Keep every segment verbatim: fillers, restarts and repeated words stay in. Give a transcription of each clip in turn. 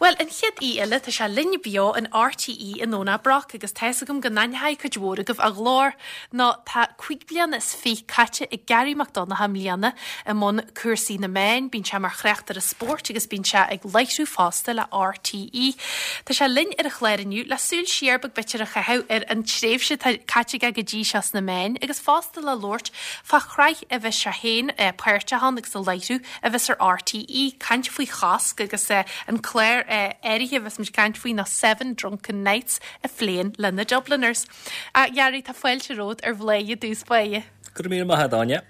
Well an chéad aoi eile tá sé linn beo in RTÉ i nDomhnach Broc agus tá a fhios agam go n-aithneoidh cuid mhór agaibh a ghlór nó tá cúig bliana is fiche caite ag Garry Mac Donncha i mbliana i mbun cúrsaí na meán, bíonn sé mar thráchtaire spóirt agus bíonn sé ag láithriú fosta le RTÉ. Tá sé linn ar an chlár inniu le súil siar beag b'fhéidir a chaitheamh ar an tréimhse caite aige go dtí seo sna meáin agus fosta le labhairt fá shraith a bheas sé féin eh, páirteach ann agus a láithriú a bheas ar RTÉ caint faoi chosc agus eh, an clár áirithe bheas muid caint faoi ná Seven Drunken Nights a phléann le na Dubliners. A Gharry tá fáilte romhat ar Bhladhaire i dtús báire. Go míle maith Áine.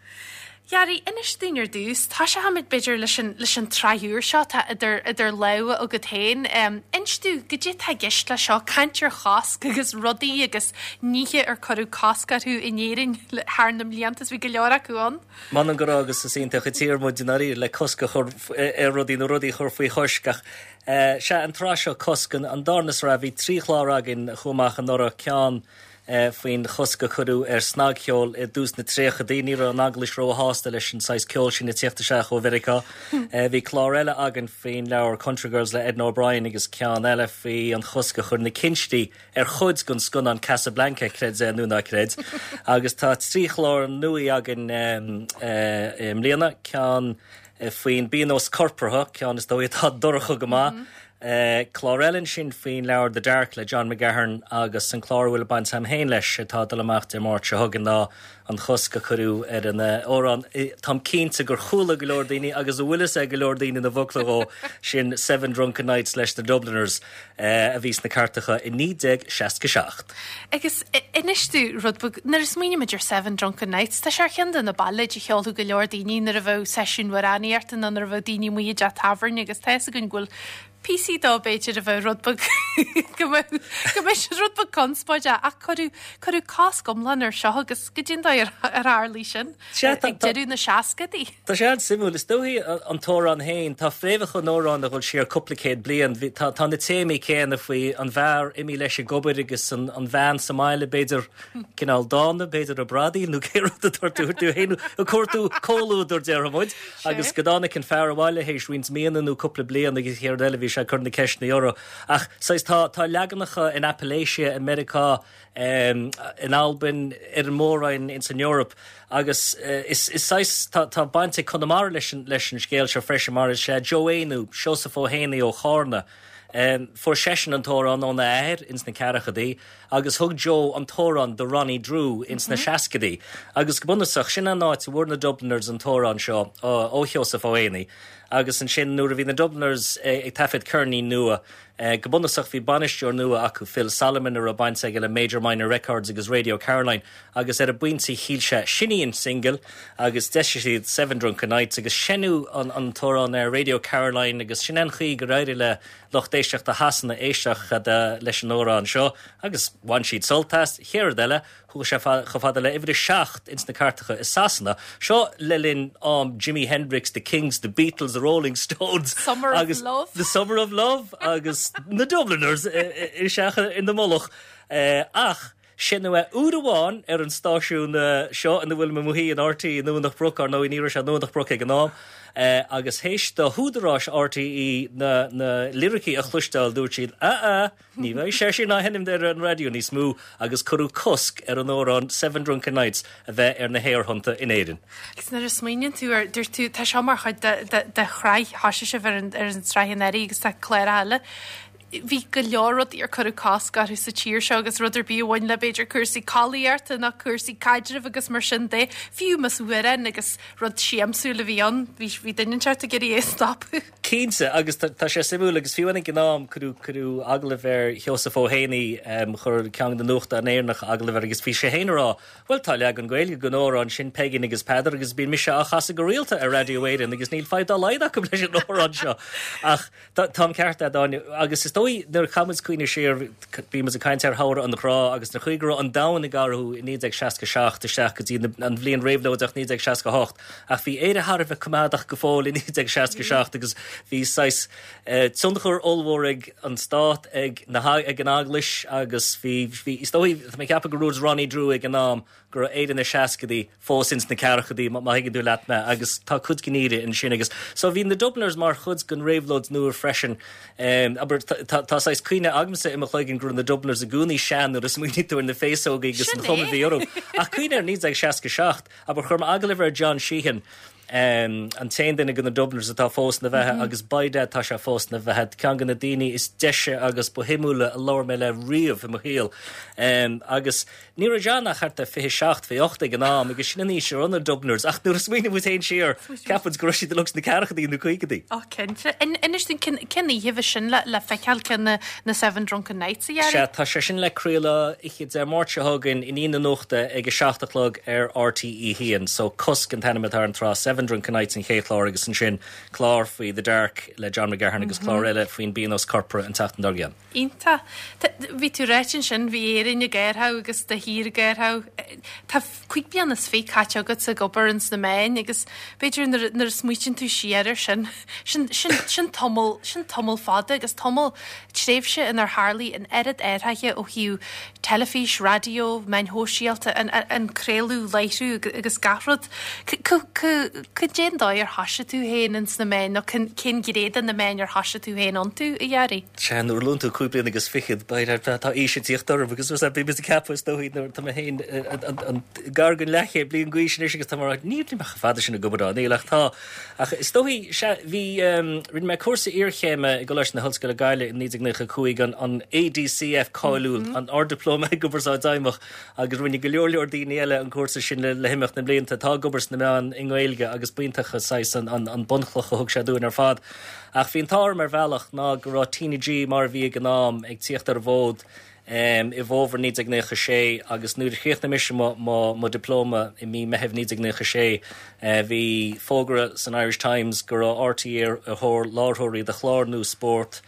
Gharry inis dúinn ar dtús, tá sé hamid b'fhéidir leis an leis an tsraith úr seo tá idir idir lámha agat féin. Um, Inis dúinn cad é tá i gceist le seo caint ar chosc agus rudaí agus nithe ar cuireadh cosc orthu in Éirinn thar na mblianta bhí go leor acu ann. Man an go agus is iontach an tír muid in le cosc a chur ar rudaí nó rudaí chur faoi chois ach sé an tsraith seo cosc an darna sraith bhí trí chlár againn chomh anuraidh ceann faoin chosc a cuireadh ar snagcheol i dtús na tríochaidí ní raibh an eaglais róshásta leis an saghas ceol sin ag teacht isteach ó Mheiriceá. Bhí clár eile againn faoin leabhar Country Girls le Edna O'Brien agus ceann eile faoi an chosc a chuir na cinstí ar chuid den scannán Casablanca creid é nó ná creid. agus tá trí chlár nua againn i mbliana ceann faoin bpionós corpartha ceann is dóigh atá dorcha go maith. Mm -hmm. Uh, clár eile sin faoin leabhar The Dark le John McGahern agus an clár bhfuil baint agam féin leis atá dul amach Dé Máirt seo chugainn ná an chosc a cuireadh ar an amhrán Táim cinnte gur chuala go leor daoine agus a bhfuil ag go leor daoine na focla ó sin Seven Drunken Nights leis na Dubliners uh, a bhí sna cairteacha i naoi déag seasca seacht. Agus inis dúinn rud nuair a smaoinímid ar Seven Drunken Nights, Tá sé ceann de na bailéid a cheolfadh go leor daoine nuair a bheadh seisiún amhránaíochta nó nuair a bheadh daoine amuigh i dteach tábhairne agus tá gon bhfuil píosaí dó b'fhéidir a bheith rud go mbeidh rud beag conspóideach ach cuireadh cuireadh cosc iomlán ar seo agus go dtí ar ar tharla sin ag deireadh na seascaidí. Tá sé an-suimiúil is dóigh an t-amhrán féin tá fréamhacha an amhráin a dhul siar cúpla céad bliain tá tá na téamaí céanna faoi an bhfear imithe leis ag obair agus an, an bhean sa mbaile b'fhéidir cineál dána b'fhéidir a bradaíl nó cé rud tú féin a cuartú comhluadar déarfaidh muid agus go dtáinig an fear abhaile théis roinnt míonna nó cúpla bliain agus chéard eile bhí sé cur na ceisteanna orthu. Ach tá tá leaganacha in Appalachia i Meiriceá um, in Albain ar an mór-roinn in san Eoraip agus uh, is, is saghas tá, tá baint ag Conamara leis an, leis an scéal seo freisin mar is sé Joe Éanú Seosamh Ó hÉanaí ó Chárna. Um, Fuair seisean an t-amhrán óna athair ins na ceathrachaidí, agus thug Joe an t-amhrán do Ronnie Drew ins na mm -hmm. seascaidí. Agus go bunúsach sin an áit a bhfuair na Dubliners an t-amhrán seo ó Sheosamh Ó Héanaí. agus ansin nuair a bhí na Dubliners eh, ag taifead ceirnín nua. Eh, go bunúsach bhí bainisteoir nua acu Phil Solomon a raibh baint aige le Major Minor Records agus Radio Caroline agus ar an bpointe shíl sé sin í an single agus d'eisigh siad Seven Drunken Nights agus seinneadh an, an t-amhrán ar Radio Caroline agus sin an chaoi gur éirigh le lucht éisteachta Shasana éisteacht leis an amhrán seo agus bhain siad sult as chéard eile chuaigh sé chomh fada le uimhir a seacht ins na cairteacha i Sasana. Seo le linn um, Jimi Hendrix, the Kinks, the Beatles, the Rolling Stones Summer agus of Love. The Summer of Love agus na Dubliners isteach in the mullach uh, ach seinneadh é uair amháin ar an stáisiún uh, seo ina bhfuil mé in RTÉ i nDomhnach Broc ar nó ní raibh sé Domhnach Broc ag an am. Uh, agus théis do húdaráis RTÉ na, na liricí a chloisteáil dúirt siad a a ní bheidh sé sin á sheinm ar an raidió níos mó agus cuireadh cosc ar an amhrán Seven Drunken Nights a bheith ar na haerthonnta in Éirinn. Agus nuair a smaoiníonn tú ar dúirt tú tá seo mar chuid de, de, de shraith thosaigh sibh ar an, ar an tsraith anuraidh agus tá clár eile. Bhí go leor rudaí ar cuireadh cosc orthu sa tír seo agus rud ar bith a bhain le b'fhéidir cúrsaí collaíochta nó cúrsaí caidrimh agus mar sin de fiú más amhrán agus rud siamsúil a bhí ann bhí bhí duine inteacht ag iarraidh é stopadh. Cinnte agus tá sé suimiúil agus fiú ag an am cuireadh cuireadh agallamh ar Sheosamh Ó Héanaí um, chuir ceann de na nuachtáin Éireannacha agallamh air agus bhí sé féin ag rá, Well tá leagan Gaeilge den amhrán sin Peigín agus Peadar agus bíonn mise á chasadh go rialta ar Raidió Éireann agus níl fadhb dá laghad acu leis an amhrán seo. Ach tá ceart agat agus is dóigh dóigh nuair a chaith muid cuimhne siar, bhí muid ag caint ar shamhradh an ghrá agus na chaoi go raibh an domhan ag athrú i naoi déag seasca seacht isteach go dtí an bhliain réabhlóideach naoi déag seasca hocht, ach bhí Éire thar a bheith coimeádach go fóill i naoi déag seasca seacht agus bhí saghas tionchar ollmhór ag an stát, ag na ag an eaglais agus bhí bhí is dóigh tá mé ag ceapadh gur dúirt Ronnie Drew ag an am go raibh Éire na seascadaí fós ins na ceathrachaidí má thuigeann tú leat mé agus tá cuid den fhírinne ansin agus so bhí na Dubliners mar chuid den réabhlóid nua freisin. Um, abair tá tá saghas cuimhne agamsa i mo chloigeann go raibh na Dubliners i gcónaí sean nuair a smaoiníonn tú ar na féasógaí agus an chuma a bhí orthu. Ach cuimhnigh ar naoi déag seasca seacht, abair chuir mé agallamh ar John Sheehan, um, an t-aon duine de na Dubliners atá fós ina bheatha mm -hmm. agus by dad tá sé fós ina bheatha ceann de na daoine is deise agus ba shuimiúla a labhair mé le riamh i mo shaol. Um, agus ní raibh John ach thart ar fiche seacht fiche ocht ag an am agus sin an aois a raibh na Dubliners ach nuair a smaoiníonn muid féin siar ceapann go raibh siad uilig sna ceathrachaidí nó caogaidí. Ó cinnte. Inis dúinn cén oíche a bheidh sin le le feiceáil cén na na Seven Drunken Nights a Ghearaí? Sea, tá sé sin le craoladh oíche Dé Máirt seo chugainn i ndiaidh na nuachta ag a seacht a chlog ar RTÉ haon. So Cosc an t-ainm atá ar an tsraith Seven Drunken Nights an chéad chlár agus ansin clár faoi The Dark le John McGahern agus mm -hmm. clár eile faoin bpionós corpartha an tseachtain dár gcionn. Iontach. Bhí tú ráite ansin bhí Éirinn ag athrú agus do thír ag athrú. Tá cúig bliana is fiche caite agat ag obair ins na meáin agus b'fhéidir nuair a smaoitíonn tú siar air sin sin sin sin tamall sin tamall fada agus tamall tréimhse inar tharla an oiread athraithe ó thaobh teilifís, raidió, meáin shóisialta, an, an craoladh, láithriú agus gach rud. Cad é an dóigh ar thoisigh tú féin ins na meáin nó cén ghné de na meáin ar thoisigh tú féin iontu a Ghearaí? Sea, nuair a luann tú cúig bliana agus fichead, tá aois ag tíocht orm agus bhí mé ag ceapadh is dóigh nuair tá mé féin gar don leathchéad bliain d'aois anois agus tá mar níl mé chomh fada sin ag obair ann, níl ach tá. Ach is dóigh sea bhí rinne mé cúrsa iarchéime i gColáiste na hOllscoile Gaillimh i naoi déag nócha a cúig an an ADCF cáiliúil, an Ard-Dioplóma i gCumarsáid Fheidhmeach agus rinne go leor leor daoine eile an cúrsa sin le le himeacht na mblianta atá ag obair sna meáin i nGaeilge agus b'iontach saghas an an an bunchloch a thug sé dúinn ar fad. Ach bhí an t-ádh orm ar bhealach ná go raibh TnaG mar a bhí ag an am ag tíocht ar an bhfód um, i bhfómhar naoi déag nócha sé agus nuair a chríochnaigh mise mo, mo, mo dioplóma i mí Meitheamh naoi déag nócha sé uh, bhí fógra san Irish Times go raibh RTÉ ar thóir láithreoirí do chlár nua spóirt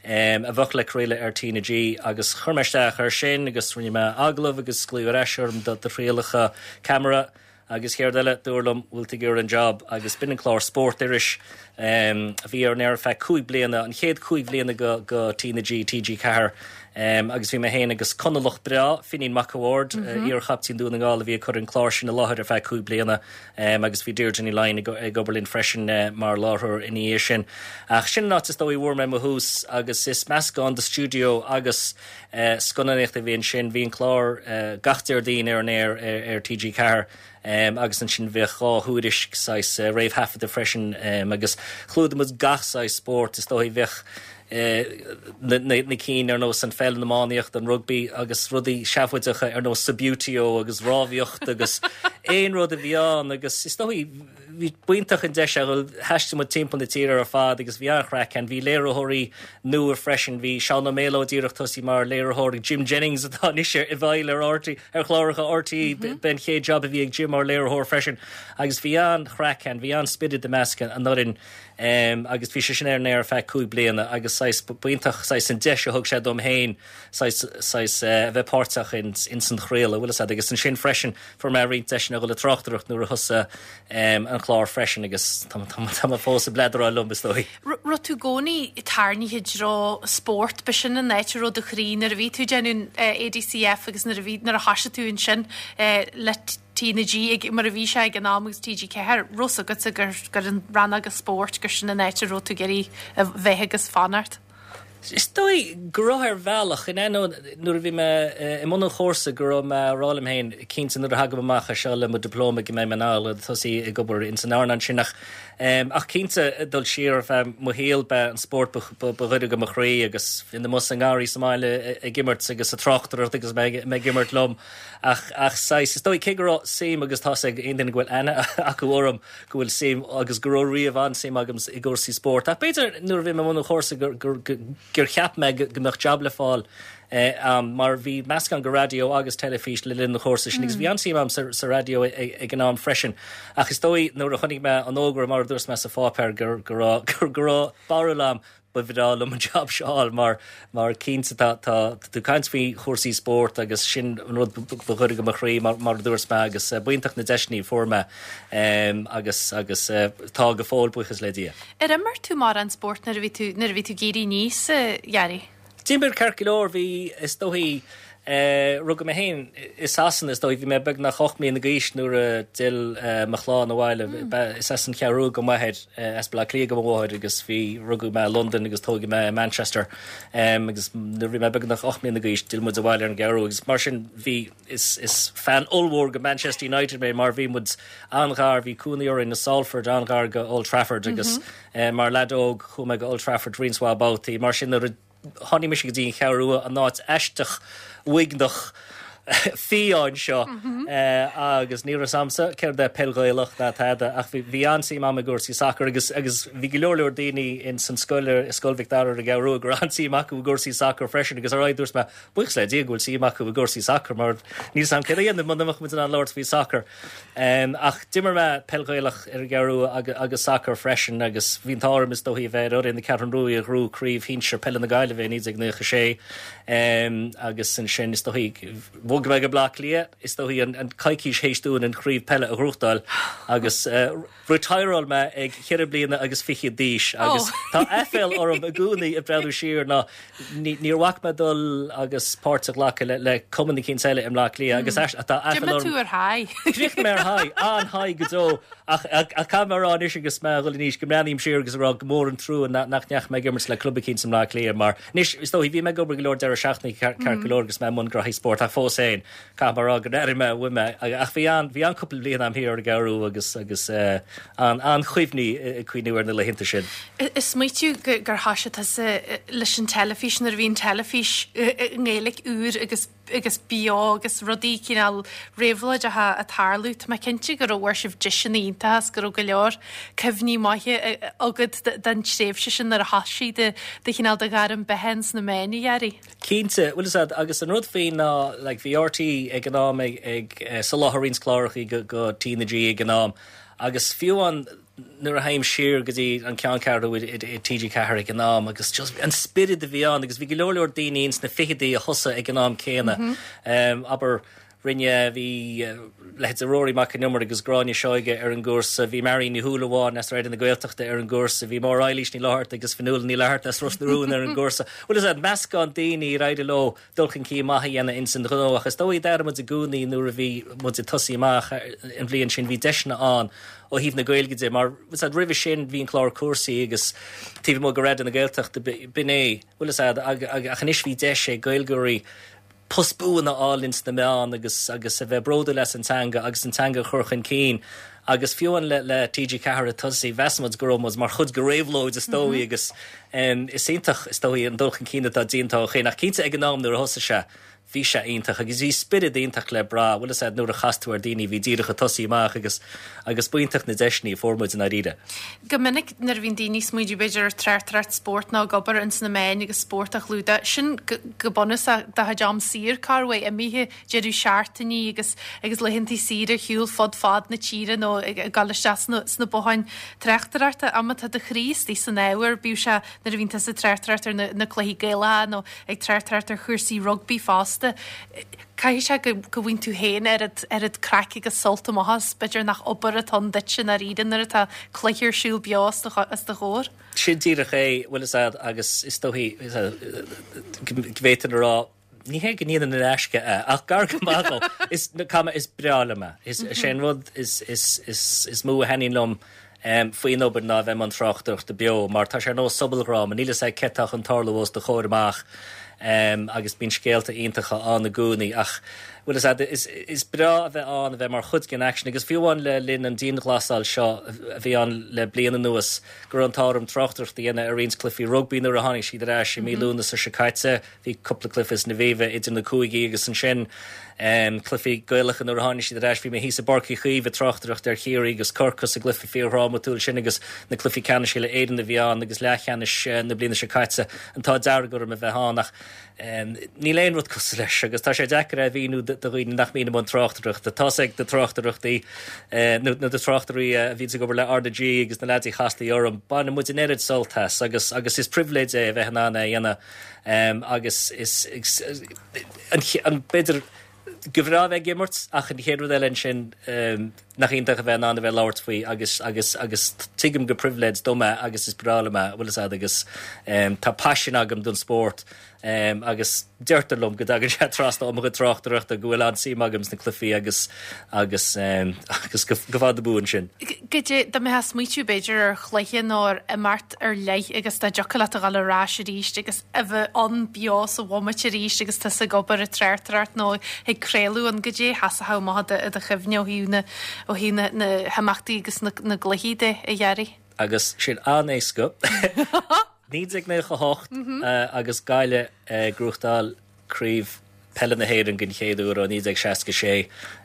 um, a bheadh le craoladh ar TnaG agus chuir mé isteach air sin agus rinne mé agallamh agus glaodh ar ais orm do do thrialacha ceamara agus céard eile dúradh liom bhfuil tú ag iarraidh an job agus b'in an clár Spórt Iris um, a bhí ar an aer ar feadh cúig bliana an chéad cúig bliana go, go TnaG TG Ceathair um, agus bhí mé féin agus Conallach breá Finín Mac a' Bhaird mm -hmm. uh, iar-chaptaen Dún na nGall a bhí ag cur an clár sin i láthair ar feadh cúig bliana um, agus bhí Deirdre Ní Laighin ag, ag obair linn freisin uh, mar láithreoir ina dhiaidh sin. Ach sin an áit is dóigh a bhfuair mé mo thús agus is meascán de stiúideo agus uh, scannánaíocht a bhí ansin bhí an clár uh, gach Déardaoin ar an aer ar, ar TG Ceathair. Um, agus ansin bheadh dhá thuairisc saghas uh, réamhthaifeadta freisin um, agus chlúdaigh muid gach saghas spórt is dóigh bheadh uh, na, na, na cinn ar nós an pheil an iománaíocht an rugby agus rudaí seafóideacha ar nós Subbuteo agus rámhaíocht agus aon rud a bhí ann agus is dóigh bhí b'iontach an deis a thaistil muid timpeall na tíre ar fad agus bhí an-chraic ann bhí léiritheoirí nua freisin bhí Seán Ó Méalóid díreach tosaithe mar léiritheoir Jim Jennings atá anois i bhfeighil ar RTÉ ar chláracha RTÉ mm -hmm. b'in chéad job a bhí ag Jim mar léiritheoir freisin agus bhí an-chraic ann bhí an-spiorad i measc an fhoireann um, agus bhí sé sin ar an aer ar feadh cúig bliana agus saghas b'iontach saghas an deis a thug sé dom féin saghas saghas uh, a bheith páirteach in in san chraoladh bhfuil agus ansin freisin fuair mé roinnt deiseanna a dhul ag tráchtaireacht nuair a thosaigh um, an clár freisin agus tá fós ag bladráil liom is dóigh. Raibh tú i gcónaí tarraingthe i dtreo spórt b'shin an áit a raibh do chroí nuair a bhí tú déanamh ADCF agus nuair a bhí nuair a thoisigh tú ansin le TnaG ag mar a bhí sé ag an am agus TG Ceathair raibh a fhios agat gur gur an rannóg spóirt gur sin an áit a raibh tú ag iarraidh a bheith agus fanacht. Is dóigh go raibh ar bhealach in ainneoin nuair a bhí mé i mbun an chúrsa go raibh mé ag rá liom féin cinnte nuair a thagaim amach as seo le mo dioplóma go mbeidh mé in ann tosú ag obair in san earnáil sin ach um, ach cinnte dul siar ar feadh mo shaol b'é an spórt ba ghaire do mo chroí agus bhí mé sa ngarraí sa mbaile ag imirt agus ag tráchtaireacht agus mé ag imirt liom ach ach saghas is dóigh cé go raibh suim agus tá ag aon duine go bhfuil aithne acu orm go bhfuil suim agus go raibh riamh an-suim agam i gcúrsaí spóirt. Ach b'fhéidir nuair a bhí mé i mbun an chúrsa gur gur gur cheap mé go mbeadh job le fáil um, mar bhí meascán de raidió agus teilifís le linn na chúrsa sin, agus bhí an-suim agam sa, sa raidió ag an am freisin. Ach is dóigh nuair a chonaic mé an fhógra mar dúirt mé sa pháipéar gur gur gur gur barúil agam ba bhreá liom an job seo mar mar cinnte tá tú caint faoi chúrsaí spóirt agus sin an rud ba ghaire do mo chroí mar mar dúirt mé agus eh, b'iontach na deiseanna a fuair mé um, agus agus uh, tá go fóill buíochas le Dia. Ar imir tú mórán spórt nuair a bhí tú nuair a bhí tú ag éirí aníos Gary? D'imir ceart go leor bhí is dóigh Uh, rugadh mé féin i Sasana is dóigh bhí mé beagnach ocht mbliana d'aois nuair a d'fhill uh, mo chlann abhaile mm. is as an Cheathrú Rua do m'athair uh, as Baile Átha Cliath do mo mháthair agus bhí rugadh mé London agus tógadh mé Manchester um, agus nuair bhí mé beagnach ocht mbliana d'aois d'fhill muid abhaile ar an gCeathrú agus mar sin bhí is, is fan ollmhór go Manchester United mé mar bhí muid an-ghar bhí cónaí orainn i Salford an-ghar go Old Trafford agus mm -hmm. uh, mar leaid óg chuaigh mé go Old Trafford roinnt mhaith babhtaí mar sin nuair tháinig mise go dtí an Cheathrú Rua an áit aisteach uaigneach fiáin seo agus ní raibh a fhios a'msa céard é peil Ghaelach ná tada ach bhí an-suim agam i gcúrsaí sacair agus agus bhí go leor leor daoine in san scoil i Scoil Mhic Dara ar an gCeathrú Rua go raibh an-suim acu i gcúrsaí sacair freisin agus ar aghaidh dúirt mé buíochas le Dia go bhfuil suim acu i gcúrsaí sacair mar níl sam cé dhéanamh mura mbeadh muid in ann labhairt faoi sacar. Um, ach d'imir mé peil Ghaelach ar an gCeathrú Rua agus, agus sacar freisin agus bhí an t-ádh orm is dóigh bheith ar na Ceathrún Rua a ghnóthaigh craobh shinsir peile na Gaillimhe naoi déag nócha sé um, agus ansin is dóigh bhog mé go Bleá Cliath is dóigh an, an coicís théis dúinn an chraobh peile a ghnóthachtáil agus uh, retireáil mé ag ceithre bliana agus fiche d'aois agus oh. tá aiféala orm i gcónaí ag breathnú siar ná níor bhac mé dul agus páirt a ghlacadh le, le cumann éicint eile i mBleá Cliath agus tá aiféala orm tú ar high. Chríochnaigh mé ar high an-high go deo ach ach mar anois agus mé ag dul in aois go mbreathnaím siar agus rá go mór an trua nach ndeachaigh mé ag imirt le club éicint i mBleá Cliath mar anois is dóigh bhí mé ag obair go leor deireadh seachtaine ceart go leor agus mé i mbun gnoithí spóirt ach fós féin caithfidh mé rá go raibh mé bhí mé ach bhí an bhí an cúpla bliain agam thiar ar an gCeathrú agus agus uh, an an-chuimhní ag cuimhneamh ar na laethanta sin. Is smaoitiú gur thosaigh tusa leis an teilifís nuair a bhí an teilifís nGaeilge úr agus agus beo agus rudaí cineál réabhlóideacha ag tarlú Tá mé cinnte go raibh sibh deiseanna iontacha go raibh go leor cuimhní maithe agat den tréimhse sin nuair a thosaigh de de chineál do ghairm beatha sna meáin a Ghearaí. Cinnte bhfuil agus an rud faoi ná like, bhí R T ag an am ag, ag uh, soláthar roinnt cláracha go, go T na G ag an am agus fiú an nuair a théim siar go dtí an ceanncheathrú i T G Ceathair ag an am agus just an spiorad a bhí ann agus bhí go leor leor daoine ins na fichidí a thosaigh ag an am céanna. Mm -hmm. um, aber rinne bhí uh, leithéidí Rory Mac an Iomaire agus Gráinne Seoige ar an gcúrsa, bhí Marie Ní Shúilleabháin as Raidió na Gaeltachta ar an gcúrsa, bhí Máire Eilís Ní Fhlatharta agus Fionnuala Ní Fhlatharta as Ros na Rún ar an gcúrsa. Bhuel is meascán daoine ar éirigh leo dul chun cinn maith a dhéanamh ins an ghnó ach is dóigh d'airigh muid i gcónaí nuair a bhí muid ag tosú amach an bhliain sin bhí deiseanna ann ó thaobh na Gaeilge de mar roimhe sin bhí an clár Cúrsaí agus taobh amuigh de Raidió na Gaeltachta b'in é bhfuil ach anois bhí deis ag Gaeilgeoirí post buan a fháil ins na meáin agus agus a bheith bródúil as an teanga agus an teanga chur chun cinn. Agus fiú amháin le, le T G Ceathair tosaí mheas muid go raibh mar chuid de réabhlóid is dóigh mm -hmm. agus um, is iontach is dóigh an dul chun cinn atá déanta ó shin ach cinnte ag an am nuair a thosaigh sé. Bhí sé iontach agus bhí spiorad iontach le brath, bhfuil a nuair a chas tú ar daoine bhí díreach ag tosú amach agus agus b'iontach na deiseanna a fuair muid in dáiríre. Go minic nuair a bhíonn daoine ag smaoineamh b'fhéidir ar tráchtaireacht spóirt nó ag obair ins na meáin agus spórt a chlúdach sin go bunúsach do chuid am saor carway imithe deireadh seachtainí agus agus laethanta saoire ar shiúl fud fad na tíre nó ag dul isteach sna botháin tráchtaireachta am atá do chroí istigh san ábhar bíodh sé nuair a bhíonn tusa ag tráchtaireacht ar na, na cluichí Gaelacha nó ag tráchtaireacht ar chúrsaí rugbaí fosta. Caithfidh sé go go bhfaigheann tú féin ar ar an craic agus sult amach as b'fhéidir nach obair atá ann duit sin ar nuair atá cluiche ar siúl beo as do chomhair. Sin díreach é bhfuil agus is dóigh go bhféadfainn a rá ní hé go ndéanaim in aisce é ach gar go maith is cama is breá liom é is sé an rud is is is is mó a thaitníonn liom um, faoin obair ná bheith i mbun tráchtaireachta beo, mar tá sé ar nós sobaldráma, níl a fhios agat céard atá chun tarlú os do chomhair amach. Um, agus bíonn scéalta iontacha ann i gcónaí ach bhfuil is, is, is breá a bheith ann a bheith mar chuid den action agus fiú amháin le linn an dianghlasáil seo a bhí ann le bliain anuas go raibh an t-ádh orm tráchtaireacht a dhéanamh ar roinnt cluichí rugbaí nuair a tháinig siad ar ais i mí Lúnasa seo caite bhí cúpla cluiche san Aviva idir na cúigí agus ansin um, cluichí Gaelacha nuair a tháinig siad ar ais bhí mé thíos i bPáirc Uí Chaoimh ag tráchtaireacht ar Chiarraí agus Corcaigh sa gcluiche fíordhrámatúil sin agus na cluichí ceannais le Éirinn a bhí ann agus leathcheannais eh, na bliana seo caite an t-ádh dearg orm a bheith ann ach Níl aon rud cosúil leis agus tá sé deacair a mhíniú do dhaoine nach mbíonn i mbun tráchtaireachta. Tá's ag na tráchtaireachtaí nó na tráchtairí a bhíonns ag obair le R na G agus na leaids a chastaí orm, baineann muid an oiread sult as agus agus is pribhléid é a bheith in ann é a dhéanamh agus is an b'fhéidir gur bhreá bheith ag imirt ach an chéad rud eile ansin nach iontach a bheith in ann a bheith ag labhairt faoi agus agus agus tuigim gur pribhléid dom é agus is breá liom é, bhfuil fhios a'd agus tá paisean agam don spórt agus deirtear liom go dtagann sé trasna ó mo chuid tráchtaireachta go bhfuil an-suim agam sna cluichí agus agus agus go fada buan sin. Goidé dá mbeifeá ag smaoitiú b'fhéidir ar chluiche nó ar imeacht ar leith agus dá dtiocfadh leat a dhul ar ais arís agus a bheith ann beo sa bhomaite arís agus tusa ag obair ag tráchtaireacht nó ag craoladh ann goidé a sheasfadh amach i do chuimhne ó thaobh na ó thaobh na na himeachtaí agus na na gcluichí de a Ghearaí? Agus sin an-éasca. naoi déag nócha a hocht agus Gaillimh ag gnóthachtáil Craobh Peile na hÉireann den chéad uair ó naoi déag seasca sé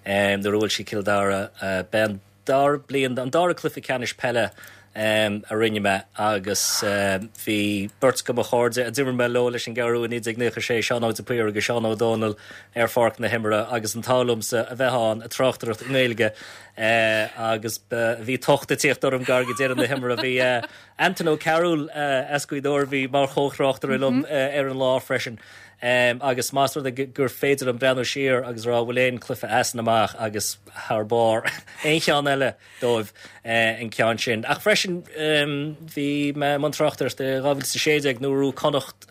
nuair a bhuail siad Cill Dara. B'é an dara bliain, an dara cluiche ceannais peile a rinne mé agus bhí beirt de mo chairde a d'imir mé leo leis an gCeathrú i naoi déag nócha sé, Seán Ó de Paor agus Seán Ó Dónaill ar pháirc na himeartha agus an t-ádh liomsa a bheith ann ag tráchtaireacht i nGaeilge agus bhí tocht ag tíocht orm gar go deireadh na himeartha. Bhí Anton Ó Cearúil as Gaoth Dobhair bhí mar chomhthráchtaire liom ar an lá freisin. Agus más rud é gur féidir liom breathnú siar agus rá bhfuil aon cluiche as an amach agus thar barr aon cheann eile dóibh an ceann sin. Ach freisin bhí mé i mbun tráchtaireachta i dhá mhíle is a sé déag nuair a bhuaigh Connacht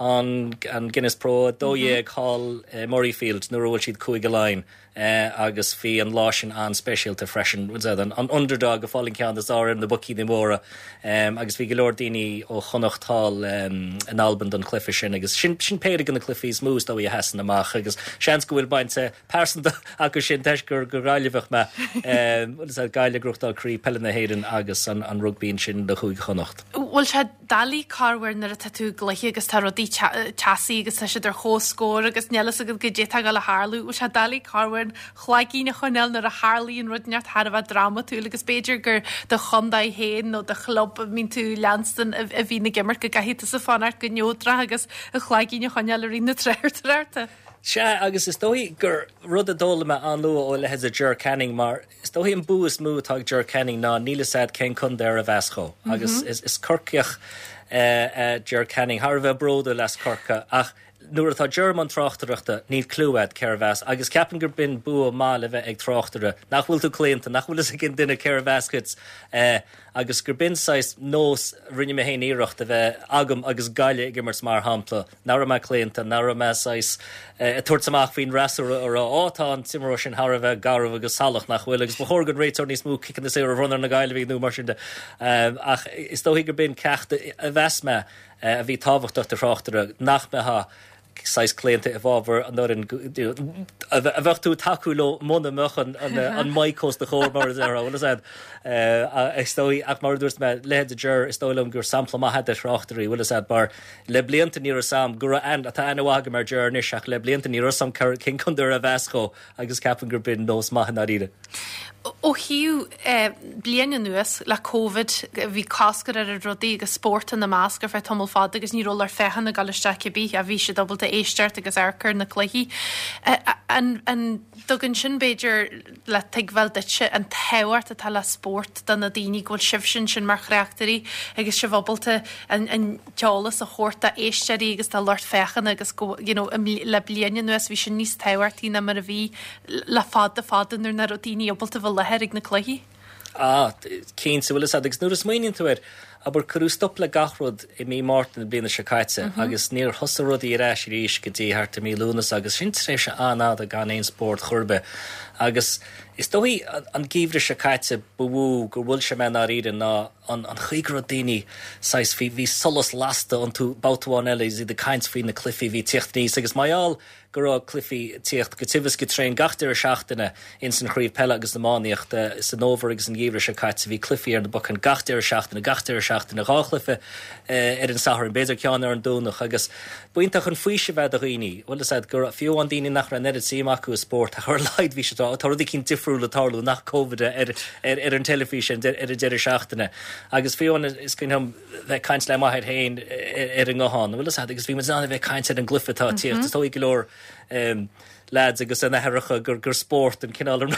an an Guinness Pro a dó dhéag thall i Murrayfield nuair a bhuail siad Cúige Laighean agus bhí an lá sin an-speisialta freisin, an an underdog ag fáil an ceann is fearr ar na boicíní móra agus bhí go leor daoine ó Chonnacht thall in Albain don chluiche sin agus sin sin péire de na cluichí is mó is dóigh a sheasann amach agus seans go bhfuil baint pearsanta acu sin toisc gur gur Gaillimheach mé Gaillimh ag gnóthachtáil Craobh Peile na hÉireann agus an an rugbaí ansin do Chúige Chonnacht. Bhfuil sé doiligh corruair nuair atá tú i gcluiche agus tá rudaí teasaí agus tá siad ar comhscór agus níl fhios agat goidé atá ag dul a tharlú. Bhfuil sé doiligh corruair an cloigeann a choinneáil nuair a tharlaíonn rud inteacht thar a bheith drámatúil agus b'fhéidir gur do chontae féin nó do chlub a mbíonn tú leanstan a bhíonn ag imirt go gcaithfidh tusa fanacht go neodrach agus an chloigeann a choinneáil i rith na tráchtaireachta. Sea, agus is dóigh gur rud a d'fhoghlaim mé an-luath ó leithéid de Ger Canning mar is dóigh an bua is mó atá ag Ger Canning ná níl fhios a'd cén contae arbh as dhó agus is, is Corcaíoch uh, Ger Canning thar a bheith bródúil as Corcaigh ach nuair atá Ger i mbun tráchtaireachta níl clue a'd cérbh as agus ceapaim gur b'in bua maith le bheith ag tráchtaire nach bhfuil tú claonta nach bhfuil fhios ag aon duine cérbh as dhuit uh, agus gur b'in saghas nós rinne mé féin iarracht a bheith agam agus Gaillimh ag imirt mar shampla nach raibh mé claonta nach raibh mé saghas uh, ag tabhairt amach faoin fhreasúra a rá á tá an t-imreoir sin thar a bheith garbh agus salach nach bhfuil agus ba chóir don réiteoir níos mó ciceanna saora a bhronnadh ar na Gaillimhigh nó mar sin de um, ach is dóigh gur b'in ceacht a mheas mé uh, a bhí tábhachtach do thráchtaire nach mbeifeá saghas claonta i bhfabhar an fhoireann a bheadh tú tacú leo muna mbeadh an an mic os do chomhair mar is ar bhfuil fhios a'd is dóigh ach mar a dúirt mé leithéid de Ger is dóigh liom gur sampla maith de thráchtairí bhfuil fhios a'd mar le blianta ní raibh fhios a'm go raibh atá aithne mhaith agam ar Ger anois ach le blianta ní raibh fhios a'm cén contae arbh as dhó agus ceapaim gur b'in nós maith i ndáiríre. Ó thaobh bliain anuas le Covid bhí cosc ar ar rudaí agus spórt ina measc ar feadh tamall fada agus ní raibh lucht féachana ag dul isteach cibé a bhí siad ábalta éisteacht agus amharc ar na cluichí. An an dtugann sin b'fhéidir le tuigbheáil duitse an tábhacht atá le spórt do na daoine go bhfuil sibhse ansin mar thráchtairí agus sibh ábalta an an t-eolas a thabhairt do éisteoirí agus do lucht féachana agus go you know, le bliain anuas bhí sin níos tábhachtaí ná mar a bhí le fada fada nuair nach raibh daoine ábalta bheith i láthair ag na cluichí. Ah, cinnte bhfuil fhios a'd agus nuair a smaoiníonn tú air, abair cuireadh stop le gach rud i mí Márta na bliana seo caite agus níor thosaigh rudaí ar ais arís go dtí thart i mí Lúnasa agus sin tréimhse an-fhada gan aon spórt chor ar bith. Agus is dóigh an geimhreadh seo caite ba mhó gur bhuail sé mé i ndáiríre ná an an chaoi go raibh daoine saghas bhí bhí solas lasta iontu babhta amháin eile is iad ag caint faoi na cluichí bhí tíocht aníos agus mar gheall go raibh cluichí tíocht go tiubh is go tréan gach deireadh seachtaine ins an chraobh peile agus iománaíochta san fhómhar agus an geimhreadh seo caite bhí cluichí ar na bacáin gach deireadh seachtaine gach deireadh seachtaine, dhá chluiche ar an Satharn, b'fhéidir ceann ar an Domhnach agus b'iontach an faoiseamh é do dhaoine, bhfuil fhios a'd, gur fiú amháin daoine nach raibh an oiread suim acu i spórt ach ar a laghad bhí sé tá rud eicínt difriúil ag tarlú nach Covid ar ar ar an teilifís ar an deireadh seachtaine agus fiú amháin is cuimhin liom bheith ag caint le m'athair féin ar an nguthán, bhfuil fhios a'd, agus bhí muid in ann a bheith ag caint ar an gcluiche atá ag tíocht, is dóigh go leor lads agus a n-aithreacha gur gur spórt an cineál an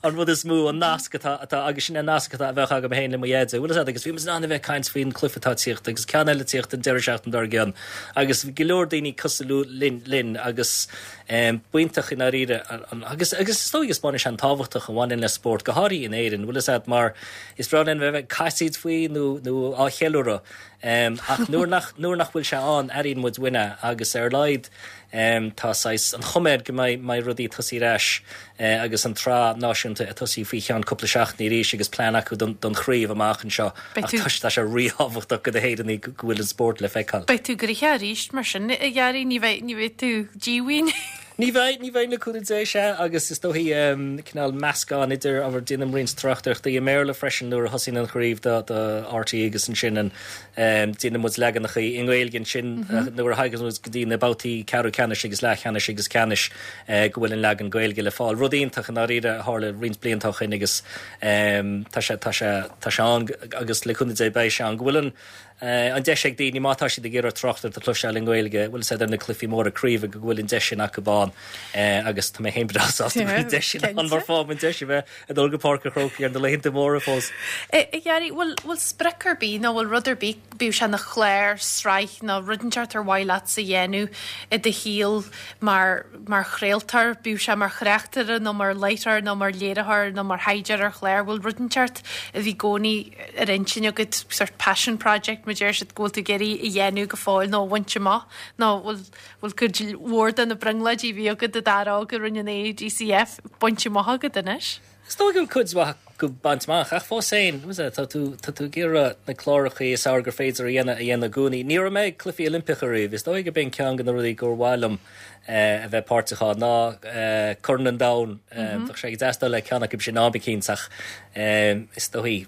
an rud is mó an nasc atá atá agus sin an nasc atá a bheadh agam féin le mo dheaide. Bhfuil fhios a'd agus bhí muid in ann a bheith ag caint faoin cluiche atá ag tíocht agus ceann eile ag tíocht an deireadh seachtaine dár gcionn agus bhí go leor daoine cosúil linn linn agus b'iontach i ndáiríre agus agus is dóigh is baineann sé an tábhachtach a bhaineann le spórt go háirithe in Éirinn bhfuil fhios a'd mar is breá linn bheith ag casaoid faoi nó nó á cheiliúradh ach nuair nach nuair nach bhfuil sé ann airíonn muid uainn é agus ar a laghad tá saghas an chuma air go mbeidh mbeidh rudaí ag tosaí ar ais agus an tsraith náisiúnta ag tosaí faoi cheann cúpla seachtaine arís agus plean acu don don chraobh amach anseo ach tá tá sé ríthábhachtach do na hÉireannaigh go bhfuil an spórt le feiceáil. Beidh tú gnoitheach arís mar sin a Ghearaí, ní bheidh ní bheidh tú díomhaoin. Ní bheidh, ní bheidh le cúnamh Dé, sea, agus is dóichí cineál meascán idir ábhar, déanaim roinnt tráchtaireachtaí i mBéarla freisin nuair a thosaíonn an chraobh do do RTÉ agus ansin an déanann muid leaganacha i nGaeilge ansin nuair a thagann muid go dtí na babhtaí ceathrú ceannais agus leathcheannais agus ceannais go bhfuil an leagan Gaeilge le fáil. Rud iontach i ndáiríre a tharla roinnt blianta ó shin agus tá sé tá sé tá sé ann agus le cúnamh Dé beidh sé ann go bhfuil an an deis ag daoine má tá siad ag iarraidh tráchtaireacht a chloisteáil i nGaeilge, bhfuil fhios a'd ar na cluichí móra craoibhe go bhfuil an deis sin acu ann agus tá mé féin breá sásta go bhfuil an deis sin ann mar fághann an deis a bheith ag dul go Páirc an Chrócaigh ar na laethanta móra fós. A Ghearaí, bhfuil bhfuil sprioc ar bith nó bhfuil rud ar bith, bíodh sé ina chlár, sraith nó rud inteacht ar mhaith leatsa a dhéanamh i do shaol mar mar chraoltóir, bíodh sé mar thráchtaire nó mar láithreoir nó mar léiritheoir nó mar thaighdeoir ar chlár, bhfuil rud inteacht a bhí i gcónaí ar intinn agat sort passion project mar deir siad go bhfuil tú ag iarraidh a dhéanamh go fóill nó a bhaint amach nó bhfuil bhfuil cuid mhór de na brionglóidí a bhí agat i d'óige i Roinn an A DCF bainte amach agat anois? Is dóigh go bhfuil cuid mhaith acu bainte amach ach fós féin tá tú tá tú ag iarraidh na cláracha is fearr gur féidir a dhéanamh a dhéanamh i gcónaí. Ní raibh mé ag Cluichí Oilimpeacha riamh, is dóigh gurb é ceann de na rudaí gur mhaith liom a bheith páirteach ann ná Corn an Domhain. Bheadh sé ag teastáil le ceann acu sin am eicínt ach is dóigh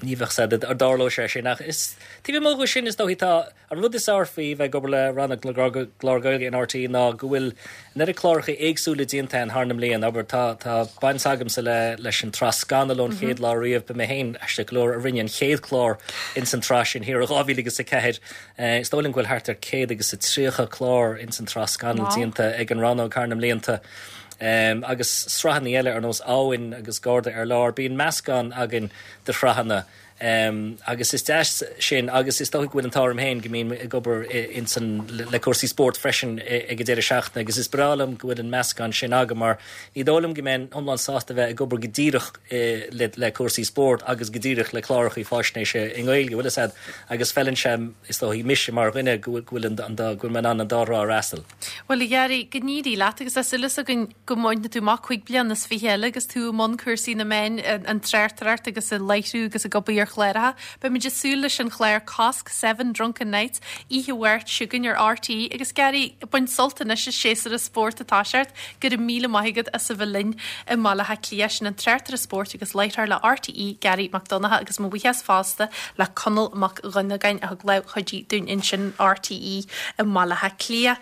ní bheadh sé ar dtarlódh sé sin ach is taobh amuigh de sin is dóigh tá an rud is fearr faoi bheith ag obair le rannóg na gclár Gaeilge in RTÉ ná go bhfuil an oiread cláracha éagsúla déanta ann thar na mblianta. Abair tá tá baint agamsa le leis an tsraith Scannal ón chéad lá riamh ba mé féin aisteach go leor a rinne an chéad chlár ins an tsraith sin thiar i dhá mhíle agus a ceathair. Is dóigh liom go bhfuil thart ar céad agus a tríocha clár ins an tsraith Scannal déanta ag an rannóg thar na mblianta. Um, agus sraitheanna eile ar nós Abhainn agus Garda ar Lár, bíonn meascán againn de shraitheanna. Um, agus is deas sin agus is dóigh go bhfuil an t-ádh orm féin go mbím ag obair insan le cúrsaí spóirt freisin ag an deireadh seachtaine agus is breá liom go bhfuil an meascán sin agam mar ní dóigh liom go mbeinn iomlán sásta bheith ag obair go díreach le, le cúrsaí spóirt agus go díreach le cláracha faisnéise i nGaeilge bhfuil fhios a'd agus feileann sé is dóigh mise mar dhuine go bhfuil an go bhfuil mé in ann an dá thrá a fhreastal. Bhuel a Ghearaí, go n-éirí leat agus tá súil againn go mbainfidh tú amach cúig bliana is fiche eile agus tú i mbun cúrsaí na meán an tráchtaireacht agus ag láithriú agus ag obair ar chláracha. Beimid ag súil leis an chlár Cosc Seven Drunken Nights oíche Mháirt seo chugainn ar RTÉ agus Gary bain sult anois as séasúr an spóirt atá thart go raibh míle maith agat as a bheith linn i mBaile Átha Cliath sin an tráchtaire spóirt agus láithreoir le RTÉ Gary Mac Donncha agus mo bhuíochas fosta le Conall Mac Dhonnagáin a thug lámh chuidithe dúinn ansin RTÉ i mBaile Átha Cliath.